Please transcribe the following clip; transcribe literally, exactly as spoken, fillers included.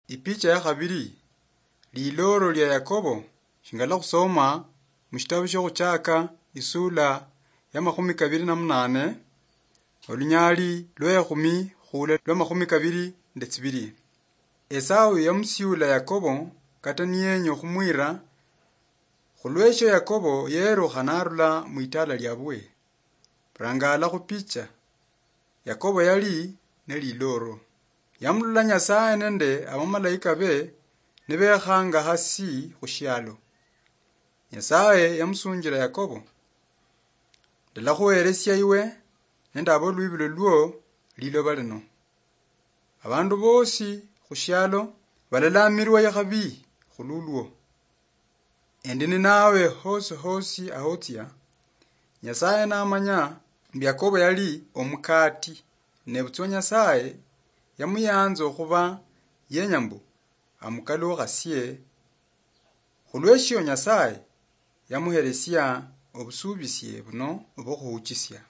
Ipicha ya khabili, lilooro lia Yakobo, shingala khusoma mushitabu shia Khuchaka, isula ya makhumi kabili na munane, olunyali lwa ekhumi khula lwa makhumi kabili nde tsibili. Esau yamusiula Yakobo, kata niyenya okhumwira, khulwesho Yakobo yerukha narula mwitala liabwe. Rangala khupicha. Yakobo yali nelilooro. Yamulola Nyasaye nende abamalaika be nibekhanga hasi khushialo. Nyasaye yamusunjila Yakobo, "Ndalakhuhelesia iwe nende abolwibilo lwo liloba lino. Abandu bosi khushialo balalamirwa ikhabi khululwo. Endi ninawe hosi hosi ahotsia." Nyasaye namanya mbu Yakobo yali omukati, nebutswa Nyasaye yamuyanza okhuba yenya mbu amukalukhasie. Khulweshio Nyasaye yamuhelesia obusubisie buno obwokhuhuchisia.